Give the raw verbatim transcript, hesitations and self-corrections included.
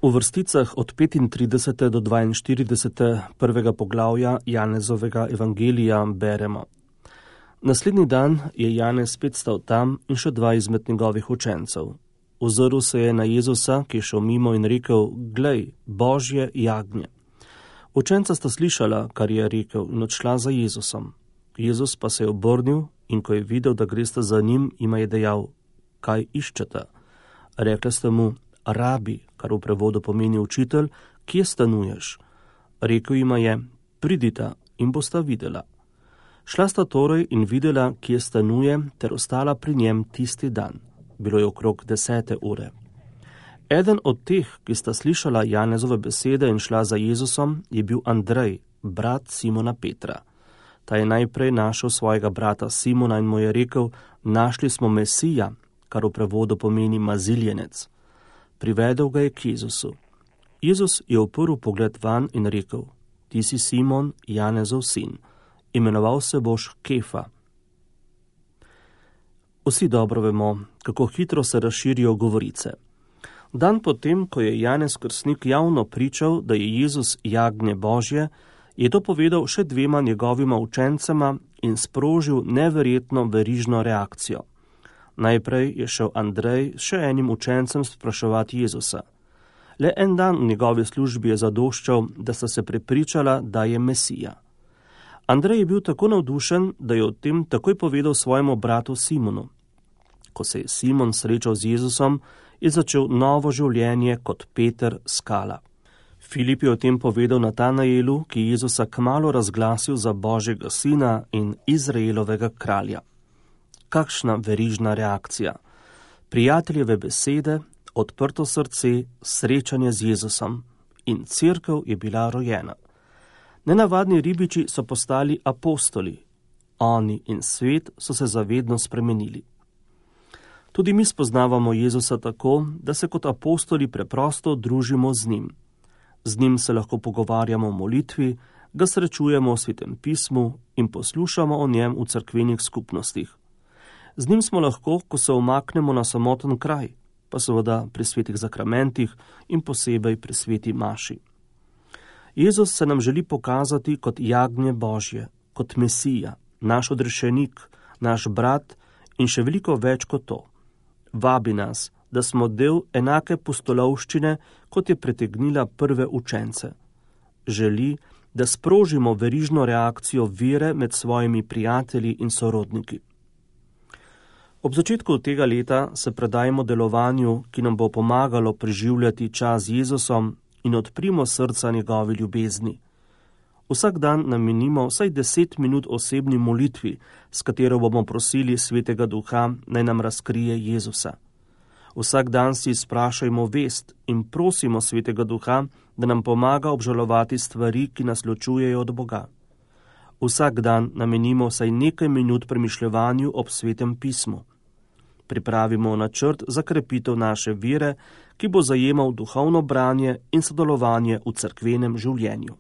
V vrsticah od petintridesetega do dvainštiridesetega prvega poglavja Janezovega evangelija beremo: Naslednji dan je Janez spet stal tam in še dva izmed njegovih učencev. Ozrl se je na Jezusa, ki je šel mimo, in rekel: Glej, Božje jagnje. Učenca sta slišala, kar je rekel, in odšla za Jezusom. Jezus pa se je obrnil in ko je videl, da gresta za njim, jima je dejal: Kaj iščete? Rekla sta mu: Rabi, kar v prevodu pomeni učitelj, kje stanuješ? Rekel jima je: Pridita in bosta videla. Šla sta torej in videla, kje stanuje, ter ostala pri njem tisti dan. Bilo je okrog desete ure. Eden od teh, ki sta slišala Janezove besede in šla za Jezusom, je bil Andrej, brat Simona Petra. Ta je najprej našel svojega brata Simona in mu je rekel: Našli smo Mesija, kar v prevodu pomeni maziljenec. Privedel ga je k Jezusu. Jezus je uprl pogled van in rekel: Ti si Simon, Janezov sin, imenoval se boš Kefa. Vsi dobro vemo, kako hitro se razširijo govorice. Dan potem, ko je Janez Krstnik javno pričal, da je Jezus jagnje Božje, je to povedal še dvema njegovima učencema in sprožil neverjetno verižno reakcijo. Najprej je šel Andrej še enim učencem spraševati Jezusa. Le en dan v njegovi službi je zadoščal, da sta se prepričala, da je Mesija. Andrej je bil tako navdušen, da je o tem takoj povedal svojemu bratu Simonu. Ko se je Simon srečal z Jezusom, je začel novo življenje kot Peter skala. Filip je o tem povedal Natanaelu, ki je Jezusa kmalu razglasil za Božjega sina in Izraelovega kralja. Kakšna verižna reakcija. Prijateljeve besede, odprto srce, srečanje z Jezusom in cerkev je bila rojena. Nenavadni ribiči so postali apostoli. Oni in svet so se zavedno spremenili. Tudi mi spoznavamo Jezusa tako, da se kot apostoli preprosto družimo z njim. Z njim se lahko pogovarjamo o molitvi, ga srečujemo v Svetem pismu in poslušamo o njem v cerkvenih skupnostih. Z njim smo lahko, ko se umaknemo na samoten kraj, pa seveda pri svetih zakramentih in posebej pri sveti maši. Jezus se nam želi pokazati kot jagnje Božje, kot Mesija, naš odrešenik, naš brat in še veliko več kot to. Vabi nas, da smo del enake pustolovščine, kot je pritegnila prve učence. Želi, da sprožimo verižno reakcijo vere med svojimi prijatelji in sorodniki. Ob začetku tega leta se predajmo delovanju, ki nam bo pomagalo preživljati čas z Jezusom in odprimo srca njegovi ljubezni. Vsak dan namenimo vsaj deset minut osebni molitvi, s katero bomo prosili Svetega Duha, naj nam razkrije Jezusa. Vsak dan si sprašajmo vest in prosimo Svetega Duha, da nam pomaga obžalovati stvari, ki nas ločujejo od Boga. Vsak dan namenimo vsaj nekaj minut premišljevanju ob Svetem pismu. Pripravimo načrt za krepitev naše vere, ki bo zajemal duhovno branje in sodelovanje v cerkvenem življenju.